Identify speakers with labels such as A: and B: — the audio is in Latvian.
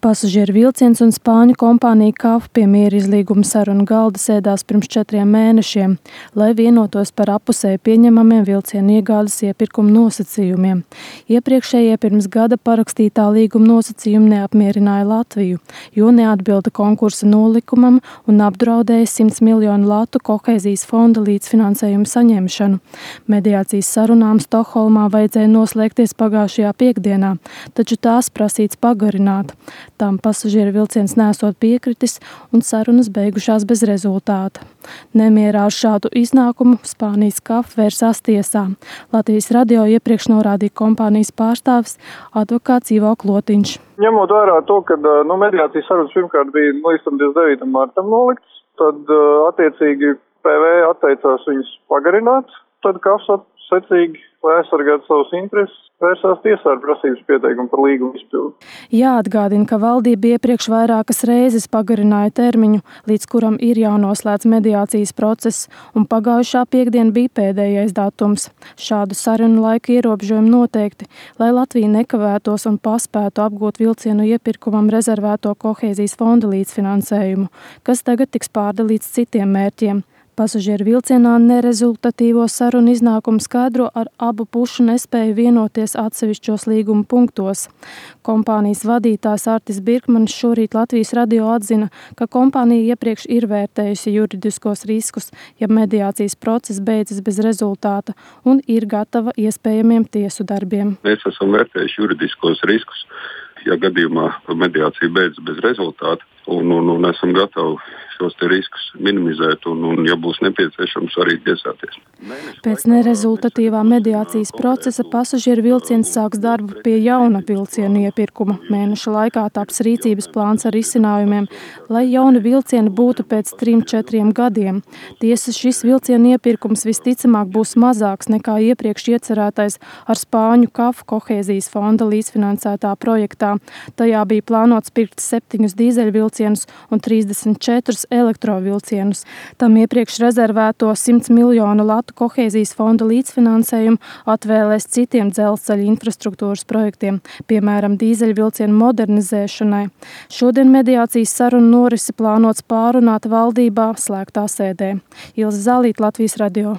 A: Pasažieru vilciens un spāņu kompānija KAF pie mierizlīguma sarunu galda sēdās pirms 4 mēnešiem, lai vienotos par appusēji pieņemamiem vilcienu iegādes iepirkuma nosacījumiem. Iepriekšējie pirms gada parakstītā līguma nosacījumi neapmierināja Latviju, jo neatbilda konkursa nolikumam un apdraudēja 100 miljonu latu kohēzijas fonda līdzfinansējumu saņemšanu. Mediācijas sarunām Stokholmā vajadzēja noslēgties pagājušajā piektdienā, taču tās prasīts pagarināt. Tam pasažieru vilciens nesot piekritis un sarunas beigušās bez rezultāta. Nemierā ar šādu iznākumu Spānijas KAF vērsās tiesā. Latvijas radio iepriekš norādīja kompānijas pārstāvis advokāts Ivo Klotiņš.
B: Ņemot vērā to, ka mediācijas sarunas pirmkārt bija līdz 29. martam noliktas, tad attiecīgi PV atteicās viņus pagarināt, tad KAF secīgi, lai aizsargātu savus intereses, vērsās tiesā ar prasības pieteikumu par līguma izpildi.
A: Jāatgādina, ka valdība iepriekš vairākas reizes pagarināja termiņu, līdz kuram ir jānoslēdz mediācijas process, un pagājušā piektdiena bija pēdējais datums. Šādu sarunu laika ierobežojumu noteikti, lai Latvija nekavētos un paspētu apgūt vilcienu iepirkumam rezervēto kohēzijas fonda līdzfinansējumu, kas tagad tiks pārdalīts citiem mērķiem. Pasažieru vilcienā nerezultatīvo sarunu iznākumu skaidro ar abu pušu nespēju vienoties atsevišķos līguma punktos. Kompānijas vadītājs Artis Birkmanis šorīt Latvijas radio atzina, ka kompānija iepriekš ir vērtējusi juridiskos riskus, ja mediācijas process beidzas bez rezultāta un ir gatava iespējamiem tiesu darbiem.
C: Mēs esam vērtējuši juridiskos riskus, ja gadījumā mediācija beidzas bez rezultāta, un esam gatavi šos te riskus minimizēt un ja būs nepieciešams, arī tiesāties.
A: Pēc nerezultatīvā mediācijas procesa pasažieru vilciens sāks darbu pie jauna vilcienu iepirkuma. Mēneša laikā taps rīcības plāns ar risinājumiem, lai jauni vilcieni būtu pēc 3-4 gadiem. Tiesa, šis vilcienu iepirkums visticamāk būs mazāks nekā iepriekš iecerētais ar Spāņu KAF kohēzijas fonda līdzfinansētā projektā. Tajā bija plānots pirkt 7 dīzeļvilcienus un 34 elektrovilcienus. Tam iepriekš rezervēto 100 miljonu latu kohēzijas fonda līdzfinansējumu atvēlēs citiem dzelzceļa infrastruktūras projektiem, piemēram, dīzeļvilcienu modernizēšanai. Šodien mediācijas sarunu norisi plānots pārunāt valdībā slēgtā sēdē. Ilze Zālīte, Latvijas radio.